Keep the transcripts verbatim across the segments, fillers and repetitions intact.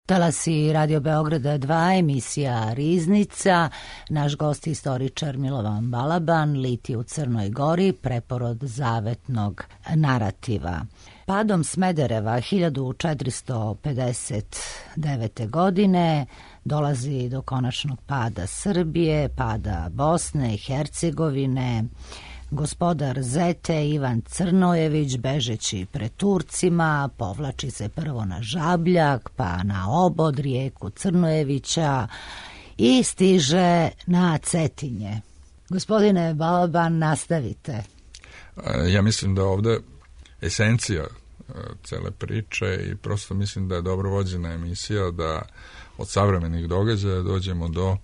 Talasi Radio Beograda dva, emisija Riznica. Naš gost, istoričar Milovan Balaban, liti u Crnoj Gori, preporod zavetnog narativa. Padom Smedereva hiljadu četiristo pedeset devete. godine dolazi do konačnog pada Srbije, pada Bosne i Hercegovine. Gospodar Zete Ivan Crnojević, bežeći pred Turcima, povlači se prvo na Žabljak, pa na Obod, rijeku Crnojevića i stiže na Cetinje. Gospodine Balaban, nastavite. Ja mislim da ovde esencija cele priče i prosto mislim da je dobro vođena emisija, da od savremenih događaja dođemo do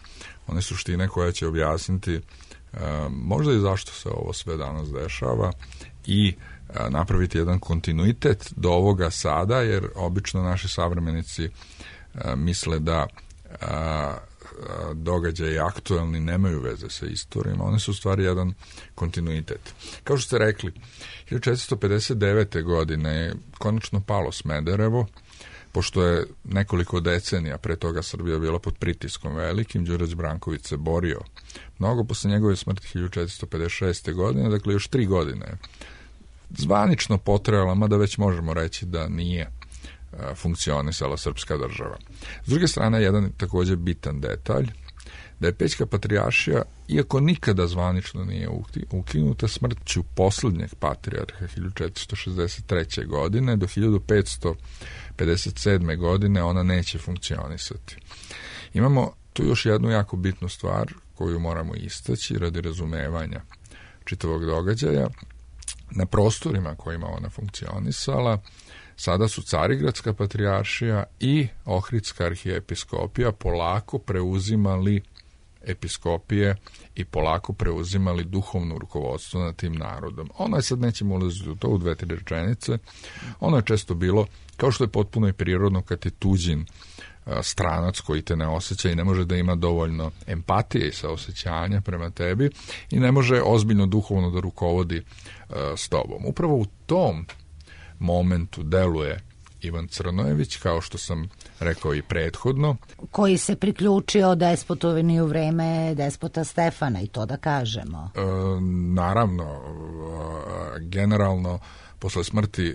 one suštine koja će objasniti možda i zašto se ovo sve danas dešava i napraviti jedan kontinuitet do ovoga sada, jer obično naši savremenici misle da događaji aktuelni nemaju veze sa istorijom, one su u stvari jedan kontinuitet. Kao što ste rekli, hiljadu četiristo pedeset devete. godine je konačno palo Smederevo, pošto je nekoliko decenija pre toga Srbija bila pod pritiskom velikim. Đurđe Branković se borio mnogo posle njegove smrti hiljadu četiristo pedeset šeste. godine, dakle još tri godine je zvanično potrajala, mada već možemo reći da nije funkcionisala srpska država. S druge strane, jedan također bitan detalj, da je Pećka patrijaršija, iako nikada zvanično nije ukinuta, smrću poslednjeg patrijarha hiljadu četiristo šezdeset treće. godine do hiljadu petsto pedeset sedme. godine ona neće funkcionisati. Imamo tu još jednu jako bitnu stvar koju moramo istaći radi razumevanja čitavog događaja. Na prostorima kojima ona funkcionisala sada su Carigradska patrijaršija i Ohridska arhijepiskopija polako preuzimali episkopije i polako preuzimali duhovno rukovodstvo nad tim narodom. Ono je, sad nećemo ulaziti u to u dve, tri rečenice, ono je često bilo, kao što je potpuno i prirodno kad je tuđin stranac koji te ne osjeća i ne može da ima dovoljno empatije i saosećanja prema tebi i ne može ozbiljno duhovno da rukovodi uh, s tobom. Upravo u tom momentu deluje Ivan Crnojević, kao što sam rekao i prethodno. Koji se priključio despotovini u vreme despota Stefana, i to da kažemo. E, naravno, e, generalno, posle smrti e,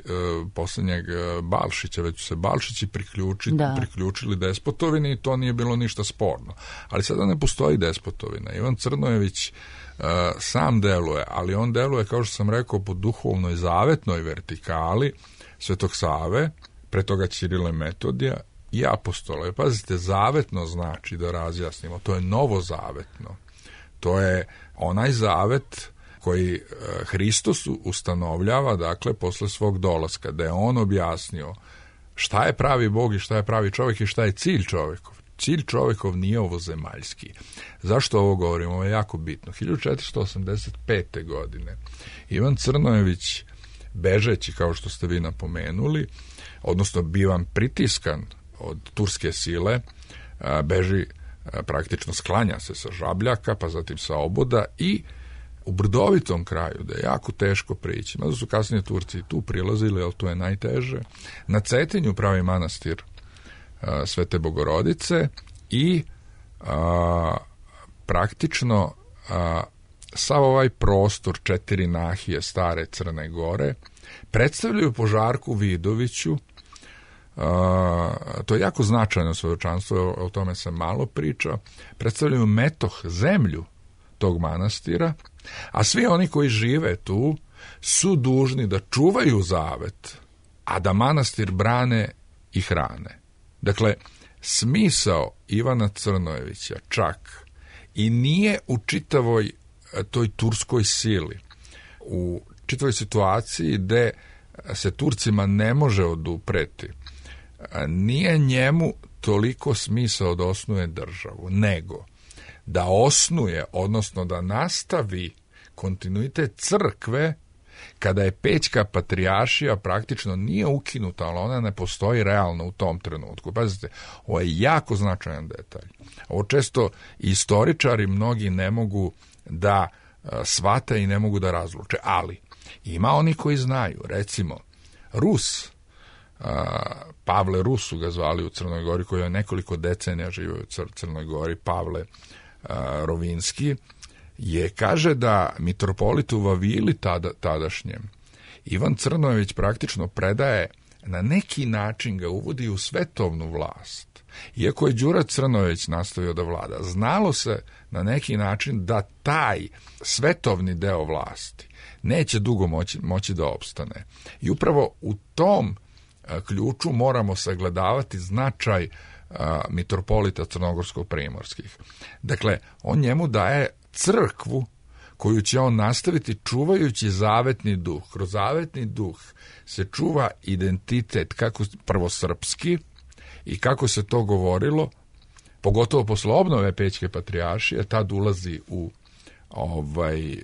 posljednjeg Balšića, već su se Balšići priključi, priključili despotovini i to nije bilo ništa sporno. Ali sada ne postoji despotovina. Ivan Crnojević Uh, sam deluje, ali on deluje, kao što sam rekao, po duhovnoj zavetnoj vertikali Svetog Save, pre toga Ćirila i Metodija i apostola. Pazite, zavetno znači, da razjasnimo, to je novozavetno. To je onaj zavet koji uh, Hristos ustanovljava, dakle, posle svog dolaska, da je on objasnio šta je pravi Bog i šta je pravi čovjek i šta je cilj čovjekov. Cilj čovjekov nije ovozemaljski. Zašto ovo govorimo? Ovo je jako bitno. hiljadu četiristo osamdeset pete. godine Ivan Crnojević, bežeći, kao što ste vi napomenuli, odnosno bivan pritiskan od turske sile, beži, praktično sklanja se sa Žabljaka, pa zatim sa Oboda i u brdovitom kraju, da je jako teško prići. Mada su kasnije Turci tu prilazili, ali to je najteže. Na Cetinju pravi manastir Svete Bogorodice i a, praktično a, sav ovaj prostor četiri nahije stare Crne Gore predstavljaju po Žarku Vidoviću. A, to je jako značajno svedočanstvo, o tome sam malo pričao. Predstavljaju metoh, zemlju tog manastira, a svi oni koji žive tu su dužni da čuvaju zavet, a da manastir brane i hrane. Dakle, smisao Ivana Crnojevića čak i nije u čitavoj toj turskoj sili, u čitavoj situaciji gde se Turcima ne može odupreti, nije njemu toliko smisao da osnuje državu, nego da osnuje, odnosno da nastavi kontinuitet crkve kada je Pećka patrijaršija praktično nije ukinuta, ali ona ne postoji realno u tom trenutku. Pazite, ovo je jako značajan detalj. Ovo često istoričari mnogi ne mogu da shvate i ne mogu da razluče, ali ima oni koji znaju. Recimo, Rus Pavle Rus su ga zvali u Crnoj Gori, koji je nekoliko decenija živio u Crnoj Gori, Pavle Rovinski, je, kaže da mitropolitu Vavili tada, tadašnjem Ivan Crnojević praktično predaje, na neki način ga uvodi u svetovnu vlast. Iako je Đura Crnojević nastavio da vlada, znalo se na neki način da taj svetovni deo vlasti neće dugo moći, moći da opstane. I upravo u tom a, ključu moramo sagledavati značaj a, mitropolita crnogorsko-primorskih. Dakle, on njemu daje crkvu koju će on nastaviti čuvajući zavetni duh. Kroz zavetni duh se čuva identitet, kako prvo srpski, i kako se to govorilo, pogotovo posle obnove Pećke patrijaršije, tad ulazi u ovaj,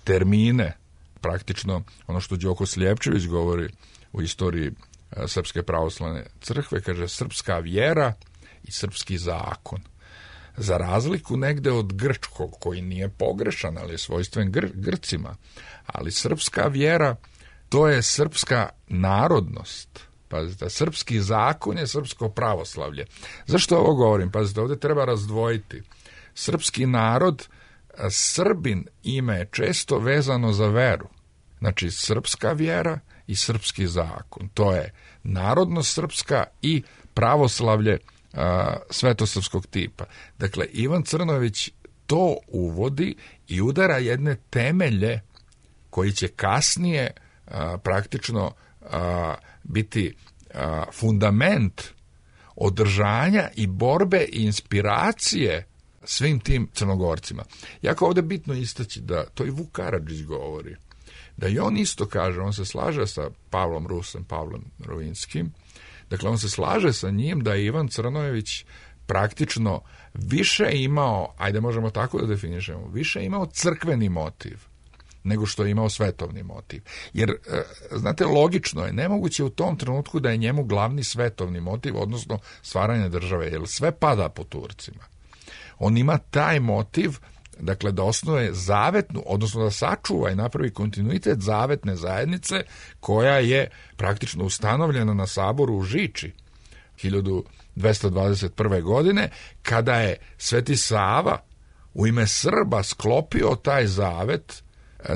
termine, praktično ono što Đoko Sljepčević govori u istoriji a, Srpske pravoslavne crkve, kaže srpska vjera i srpski zakon. Za razliku negde od grčkog, koji nije pogrešan, ali je svojstven Gr- Grcima, ali srpska vjera, to je srpska narodnost. Pazite, srpski zakon je srpsko pravoslavlje. Zašto ovo govorim? Pazite, ovdje treba razdvojiti. Srpski narod, Srbin ime je često vezano za veru. Znači, srpska vjera i srpski zakon. To je narodnost srpska i pravoslavlje a, svetosrpskog tipa. Dakle, Ivan Crnojević to uvodi i udara jedne temelje koji će kasnije a, praktično a, biti a, fundament održanja i borbe i inspiracije svim tim Crnogorcima. Jako ovdje bitno istaći da to i Vuk Karadžić govori, da i on isto kaže, on se slaže sa Pavlom Rusem, Pavlom Rovinskim, dakle on se slaže sa njim da je Ivan Crnojević praktično više imao, ajde možemo tako da definišemo, više imao crkveni motiv nego što je imao svetovni motiv. Jer, znate, logično je, nemoguće u tom trenutku da je njemu glavni svetovni motiv, odnosno stvaranje države, jer sve pada po Turcima. On ima taj motiv, dakle, da osnuje zavetnu, odnosno da sačuva i napravi kontinuitet zavetne zajednice, koja je praktično ustanovljena na saboru u Žiči hiljadu dvesta dvadeset prve. godine, kada je Sveti Sava u ime Srba sklopio taj zavet,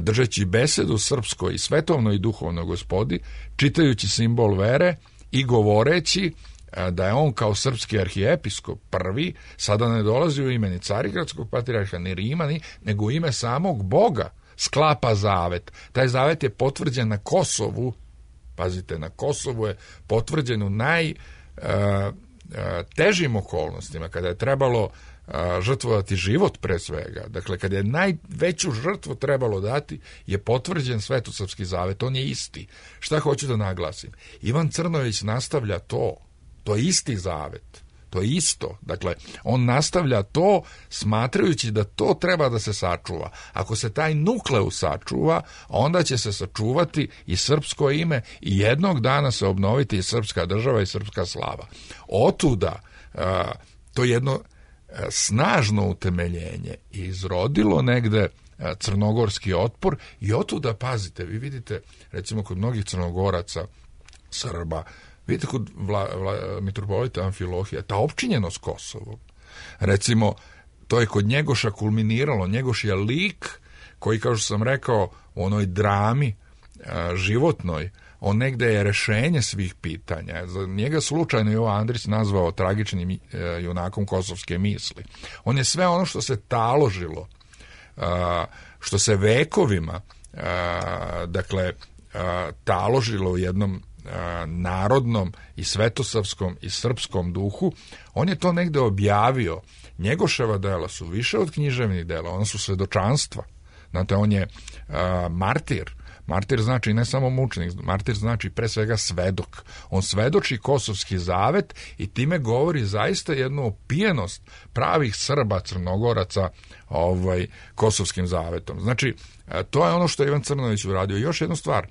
držeći besedu srpskoj i svetovnoj i duhovnoj gospodi, čitajući simbol vere i govoreći da je on kao srpski arhijepiskop prvi, sada ne dolazi u ime ni Carigradskog patrijarha, ni Rima, ni, nego u ime samog Boga sklapa zavet. Taj zavet je potvrđen na Kosovu, pazite, na Kosovu je potvrđen u najtežim okolnostima, kada je trebalo žrtvovati život pre svega. Dakle, kada je najveću žrtvu trebalo dati, je potvrđen Svetosrpski zavet, on je isti. Šta hoću da naglasim? Ivan Crnojević nastavlja to, to je isti zavet, to je isto. Dakle, on nastavlja to smatrajući da to treba da se sačuva. Ako se taj nukleus sačuva, onda će se sačuvati i srpsko ime i jednog dana se obnoviti i srpska država i srpska slava. Otuda to je jedno snažno utemeljenje i izrodilo negde crnogorski otpor i otuda, pazite, vi vidite, recimo kod mnogih Crnogoraca, Srba, vidite kod vla, vla, mitropolita Amfilohija, ta opčinjenost Kosovom. Recimo, to je kod Njegoša kulminiralo. Njegoš je lik koji, kao što sam rekao, u onoj drami a, životnoj, on negde je rešenje svih pitanja. Za njega slučajno Jovo Andrić nazvao tragičnim e, junakom kosovske misli. On je sve ono što se taložilo, a, što se vekovima a, dakle a, taložilo u jednom a, narodnom i svetosavskom i srpskom duhu, on je to negde objavio. Njegoševa dela su više od književnih dela, ona su svedočanstva. Znate, on je a, martir. Martir znači ne samo mučenik, martir znači pre svega svedok. On svedoči kosovski zavet i time govori zaista jednu opijenost pravih Srba, Crnogoraca ovaj, kosovskim zavetom. Znači, to je ono što je Ivan Crnojević uradio. Još jednu stvar,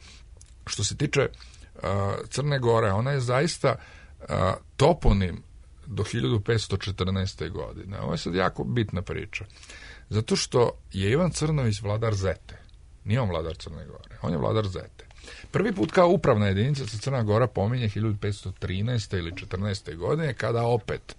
što se tiče uh, Crne Gore, ona je zaista uh, toponim do hiljadu petsto četrnaeste. godine. Ovo je sad jako bitna priča. Zato što je Ivan Crnojević vladar Zete. Nije on vladar Crne Gore, on je vladar Zete. Prvi put kao upravna jedinica se Crna Gora pominje hiljadu petsto trinaeste ili četrnaeste godine, kada opet,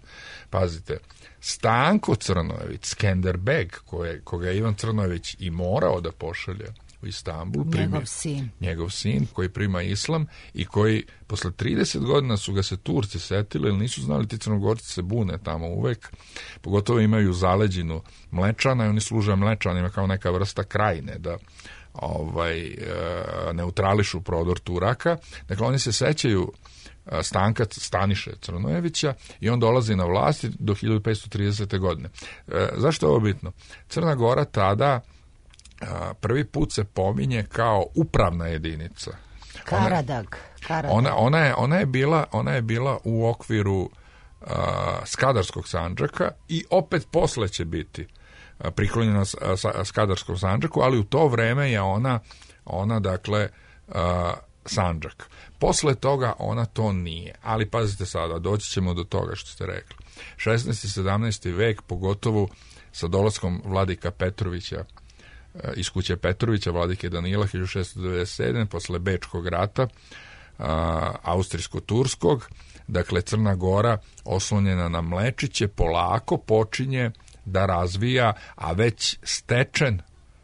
pazite, Stanko Crnojević, Skenderbeg, koje, koga je Ivan Crnojević i morao da pošalje u Istanbul, primi, njegov sin. njegov sin koji prima islam i koji posle trideset godina su ga se Turci setili, jer nisu znali, ti Crnogorci se bune tamo uvek, pogotovo imaju zaleđinu Mlečana i oni služe Mlečanima kao neka vrsta krajine da ovaj, neutrališu prodor Turaka. Dakle, oni se sećaju Stanka Staniše Crnojevića i on dolazi na vlast do hiljadu petsto tridesete godine. E, zašto je ovo bitno? Crna Gora tada a, prvi put se pominje kao upravna jedinica. Karadag. Karadag. Ona, ona, je, ona, je bila, ona je bila u okviru a, Skadarskog Sandžaka i opet posle će biti priklonjena Skadarskom Sandžaku, ali u to vreme je ona, ona dakle, a, Sandžak. Posle toga ona to nije. Ali pazite sada, doći ćemo do toga što ste rekli. šesnaesti i sedamnaesti vek, pogotovo sa dolaskom vladika Petrovića iz kuće Petrovića, vladike Danila hiljadu šessto devedeset sedme posle Bečkog rata, austrijsko-turskog, dakle Crna Gora oslonjena na Mlečiće polako počinje da razvija, a već stečen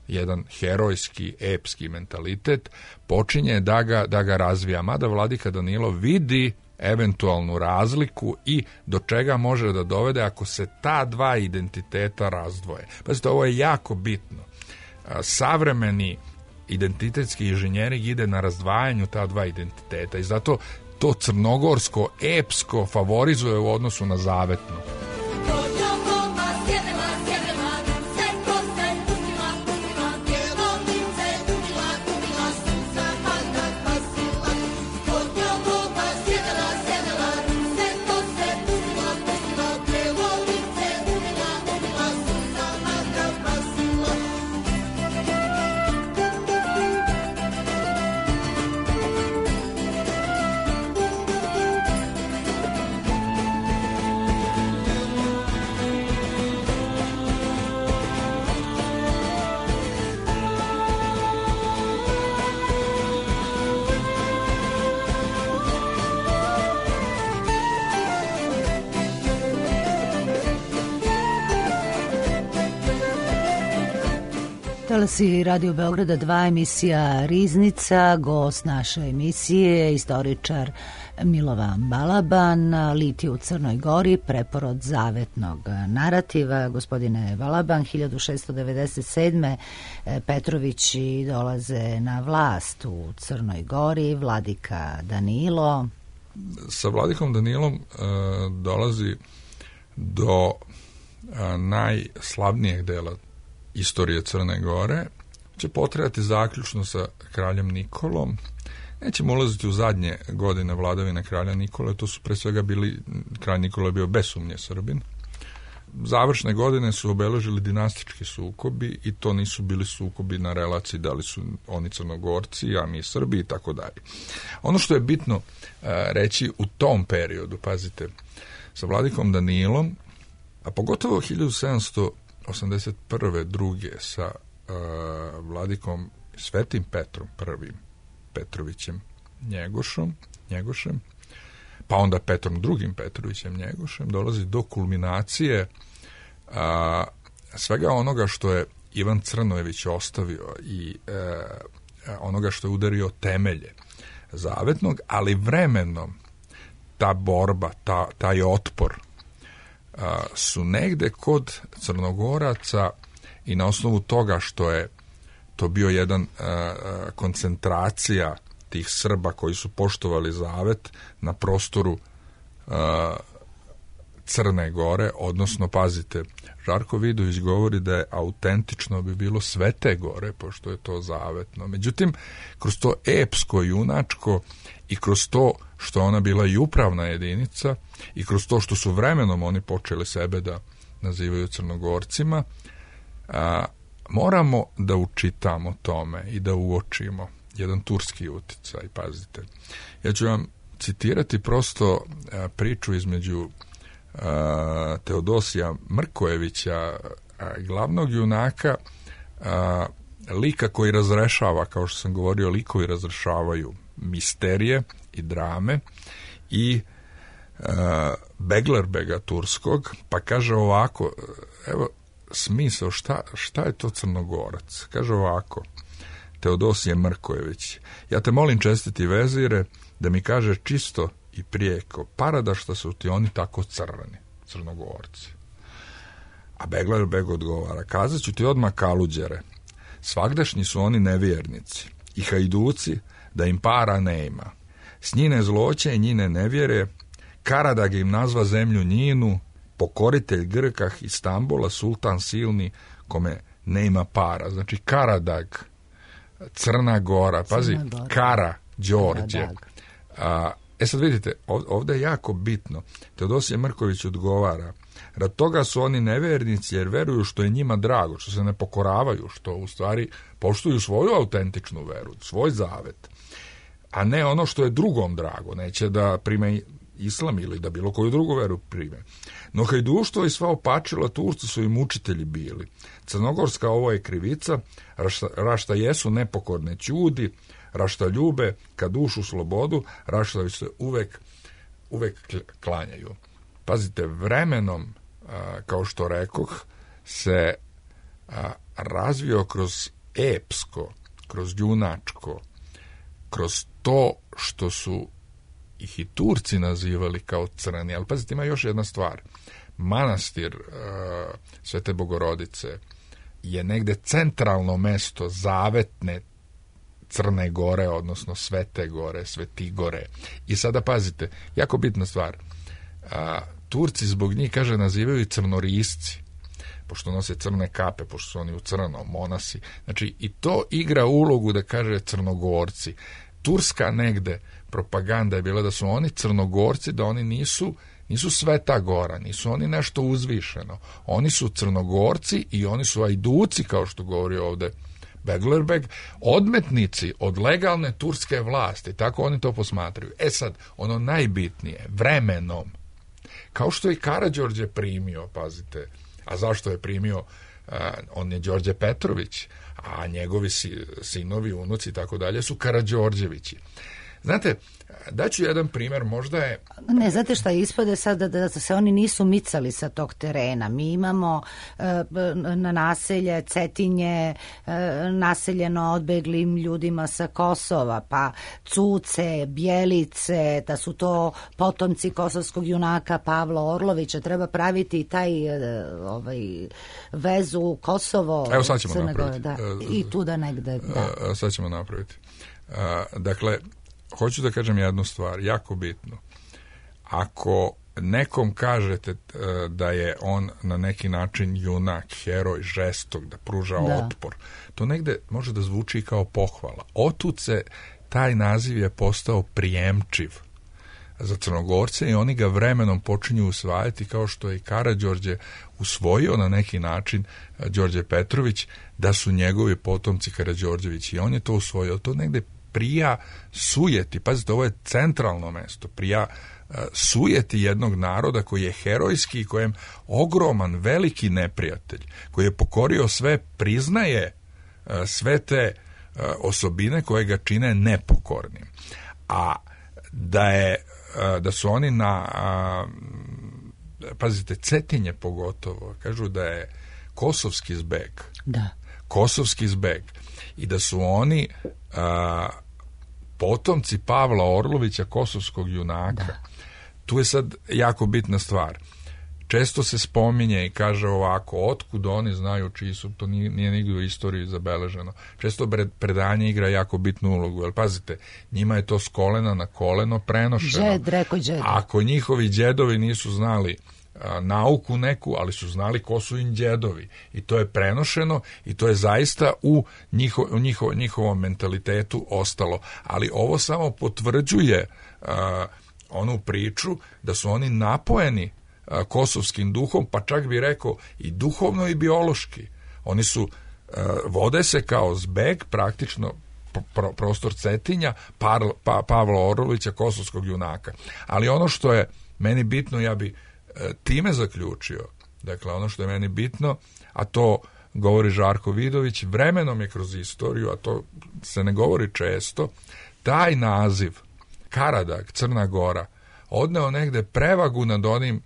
jedan herojski, epski mentalitet, počinje da ga, da ga razvija. Mada vladika Danilo vidi eventualnu razliku i do čega može da dovede ako se ta dva identiteta razdvoje. Pazite, ovo je jako bitno. Savremeni identitetski inženjering ide na razdvajanju ta dva identiteta i zato to crnogorsko, epsko favorizuje u odnosu na zavetno. Talasi Radio Beograda dva, emisija Riznica, gost naše emisije, istoričar Milovan Balaban, Litije u Crnoj Gori, preporod zavetnog narativa. Gospodine Balaban, hiljadu šessto devedeset sedme Petrovići dolaze na vlast u Crnoj Gori, vladika Danilo. Sa vladikom Danilom uh, dolazi do uh, najslavnijeg dela istorije Crne Gore, će potrajati zaključno sa kraljem Nikolom. Nećemo ulaziti u zadnje godine vladavine kralja Nikole, to su pre svega bili, kralj Nikola je bio bez sumnje Srbin. Završne godine su obeležili dinastički sukobi i to nisu bili sukobi na relaciji da li su oni Crnogorci, a mi Srbi i tako dalje. Ono što je bitno uh, reći u tom periodu, pazite, sa vladikom Danilom, a pogotovo hiljadu sedamsto osamdeset prve druge sa uh, vladikom Svetim Petrom prvim Petrovićem Njegošom, Njegošem, pa onda Petrom drugim Petrovićem Njegošem, dolazi do kulminacije uh, svega onoga što je Ivan Crnojević ostavio i uh, onoga što je udario temelje zavetnog, ali vremenom ta borba, ta, taj otpor A, su negde kod Crnogoraca i na osnovu toga što je to bio jedan a, a, koncentracija tih Srba koji su poštovali zavet na prostoru a, Crne Gore, odnosno, pazite, Žarko Vidović govori da je autentično bi bilo Svete Gore, pošto je to zavetno. Međutim, kroz to epsko, junačko i kroz to što ona bila i upravna jedinica i kroz to što su vremenom oni počeli sebe da nazivaju Crnogorcima, a, moramo da učitamo tome i da uočimo jedan turski uticaj, pazite. Ja ću vam citirati prosto a, priču između a, Teodosija Mrkojevića, a, glavnog junaka a, lika koji razrešava, kao što sam govorio, likovi razrešavaju misterije i drame i uh, Beglerbega turskog, pa kaže ovako, evo smisao, šta, šta je to Crnogorac? Kaže ovako, Teodosije Mrkojević, ja te molim, čestiti vezire, da mi kaže čisto i prijeko, parada što su ti oni tako crveni, Crnogorci. A Beglerbeg odgovara, kazat ću ti odmah kaluđere, svagdašnji su oni nevjernici i hajduci, da im para ne ima. S njine zloće i njine nevjere, Karadag im nazva zemlju njinu, pokoritelj Grkah Istanbula, sultan silni, kome ne ima para. Znači Karadag, Crna Gora, pazi, Crna Gora. Kara, Đorđe. A, e sad vidite, ovdje je jako bitno. Teodosije Mrković odgovara, rad toga su oni nevjernici jer veruju što je njima drago, što se ne pokoravaju, što u stvari poštuju svoju autentičnu veru, svoj zavet, a ne ono što je drugom drago, neće da prime islam ili da bilo koju drugu veru prime. No hajduštvo i sva opačila Turci su im učitelji bili. Crnogorska ovo je krivica, rašta, rašta jesu nepokorne ćudi, rašta ljube ka dušu slobodu, rašta se uvek, uvek klanjaju. Pazite, vremenom, a, kao što rekoh, se a, razvio kroz epsko, kroz junačko, kroz to što su ih i Turci nazivali kao crni. Ali pazite, ima još jedna stvar. Manastir uh, Svete Bogorodice je negde centralno mesto zavetne Crne Gore, odnosno Svete Gore, Svetigore. I sada pazite, jako bitna stvar. Uh, Turci zbog njih, kaže, nazivaju i crnorisci, pošto nose crne kape, pošto su oni u crnom, monasi. Znači, i to igra ulogu da kaže Crnogorci. Turska negde propaganda je bila da su oni Crnogorci, da oni nisu, nisu Sveta Gora, nisu oni nešto uzvišeno. Oni su Crnogorci i oni su ajduci, kao što govori ovde Beglerbeg, odmetnici od legalne turske vlasti. Tako oni to posmatraju. E sad, ono najbitnije, vremenom, kao što je Karađorđe primio, pazite, a zašto je primio? Uh, on je Đorđe Petrović, a njegovi si, sinovi, unuci i tako dalje su Karađorđevići. Znate, daću jedan primjer, možda je... Ne, znate šta, ispade sada da, da se oni nisu micali sa tog terena. Mi imamo e, na naselje Cetinje, e, naseljeno odbeglim ljudima sa Kosova, pa Cuce, Bjelice, da su to potomci kosovskog junaka Pavla Orlovića. Treba praviti taj e, ovaj, vezu Kosovo, Evo sad ćemo Crne Gore, napraviti. da, i tu da negde... Da. Sad ćemo napraviti. Dakle, hoću da kažem jednu stvar, jako bitno. Ako nekom kažete da je on na neki način junak, heroj, žestok, da pruža da. otpor, to negde može da zvuči kao pohvala. Otud se taj naziv je postao prijemčiv za Crnogorce i oni ga vremenom počinju usvajati, kao što je i Karađorđe usvojio na neki način Đorđe Petrović, da su njegovi potomci Karađorđevići, i on je to usvojio. To negde prija sujeti, pazite, ovo je centralno mesto, prija uh, sujeti jednog naroda koji je herojski i kojem ogroman, veliki neprijatelj, koji je pokorio sve, priznaje uh, sve te uh, osobine koje ga čine nepokornim. A da je uh, da su oni na uh, pazite, Cetinje pogotovo, kažu da je kosovski zbeg. Da. Kosovski zbeg. I da su oni a, potomci Pavla Orlovića, kosovskog junaka. Da. Tu je sad jako bitna stvar. Često se spominje i kaže ovako, otkud oni znaju čiji su, to nije, nije nigdje u istoriji zabeleženo. Često predanje igra jako bitnu ulogu, jer pazite, njima je to s kolena na koleno prenošeno. Džed, reko džed. Ako njihovi džedovi nisu znali a, nauku neku, ali su znali ko su im džedovi. I to je prenošeno i to je zaista u, njiho, u njiho, njihovom mentalitetu ostalo. Ali ovo samo potvrđuje a, onu priču da su oni napojeni a, kosovskim duhom, pa čak bi rekao i duhovno i biološki. Oni su, a, vode se kao zbeg praktično pro, prostor Cetinja, Par, pa, Pavla Orlovića, kosovskog junaka. Ali ono što je meni bitno, ja bi time zaključio, dakle ono što je meni bitno, a to govori Žarko Vidović, vremenom je kroz istoriju, a to se ne govori često, taj naziv Karadag, Crna Gora, odneo negde prevagu nad onim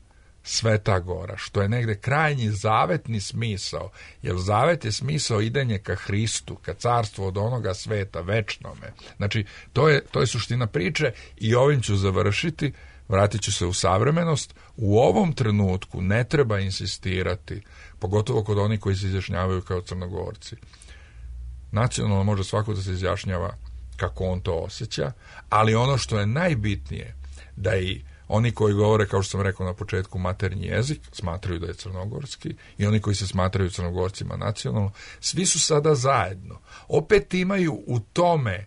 Sveta Gora, što je negde krajnji zavetni smisao, jer zavet je smisao idenje ka Hristu, ka carstvu od onoga sveta, večnome. Znači, to je, to je suština priče i ovim ću završiti, vratit ću se u savremenost. U ovom trenutku ne treba insistirati, pogotovo kod onih koji se izjašnjavaju kao Crnogorci. Nacionalno može svako da se izjašnjava kako on to osjeća, ali ono što je najbitnije, da i oni koji govore, kao što sam rekao na početku, maternji jezik, smatraju da je crnogorski, i oni koji se smatraju Crnogorcima nacionalno, svi su sada zajedno. Opet imaju u tome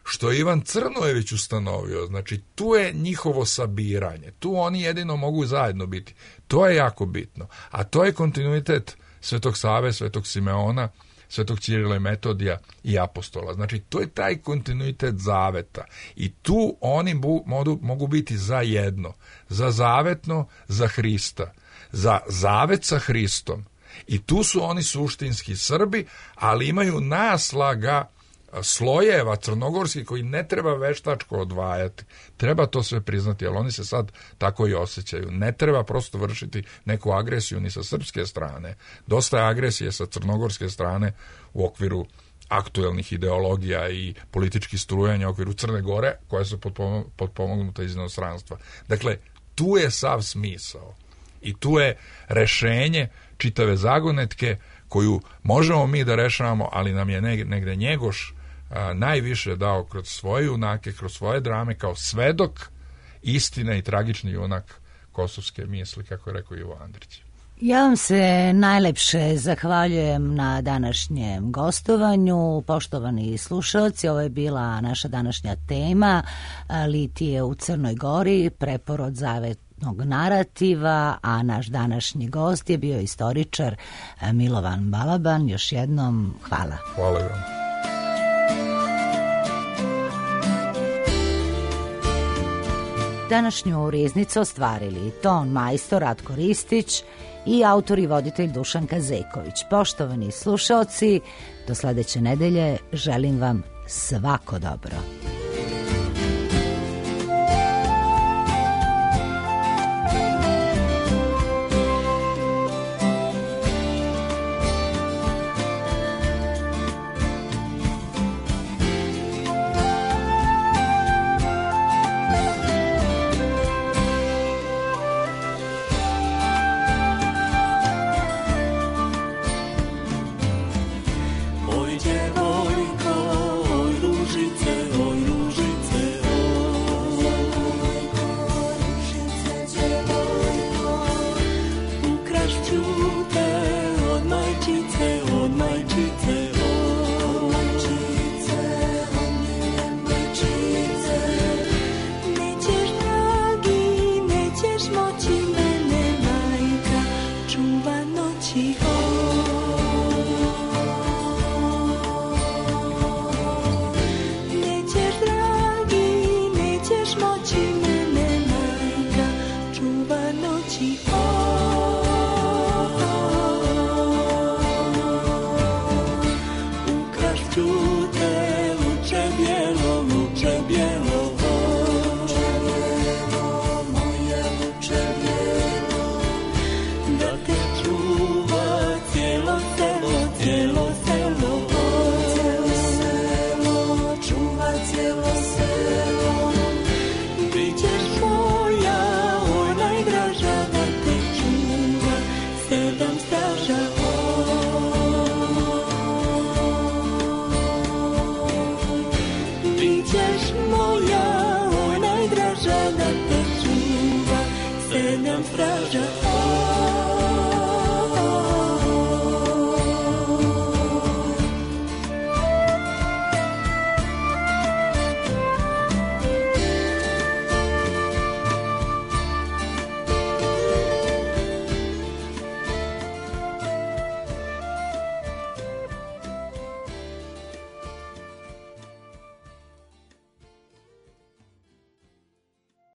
što je Ivan Crnojević ustanovio, znači tu je njihovo sabiranje, tu oni jedino mogu zajedno biti. To je jako bitno. A to je kontinuitet Svetog Save, Svetog Simeona, Svetog Ćirila i Metodija i apostola. Znači, to je taj kontinuitet zaveta. I tu oni bu, modu, mogu biti za jedno. Za zavetno, za Hrista. Za zavet sa Hristom. I tu su oni suštinski Srbi, ali imaju naslaga slojeva crnogorskih koji ne treba veštačko odvajati. Treba to sve priznati, jer oni se sad tako i osjećaju. Ne treba prosto vršiti neku agresiju ni sa srpske strane. Dosta je agresije sa crnogorske strane u okviru aktuelnih ideologija i političkih strujanja u okviru Crne Gore, koja su potpomognuta iz inostranstva. Dakle, tu je sav smisao. I tu je rešenje čitave zagonetke koju možemo mi da rešavamo, ali nam je negde Njegoš a, najviše dao kroz svoje junake, kroz svoje drame, kao svedok istine i tragični junak kosovske misli, kako je rekao Ivo Andrić. Ja vam se najlepše zahvaljujem na današnjem gostovanju. Poštovani slušalci, ovo je bila naša današnja tema, litije u Crnoj Gori, preporod zavetnog narativa, a naš današnji gost je bio istoričar Milovan Balaban. Još jednom hvala. Hvala vam. Današnju riznicu ostvarili ton majstor Ratko Ristić i autor i voditelj Dušan Kazeković. Poštovani slušaoci, do sledeće nedelje želim vam svako dobro. Sedam straža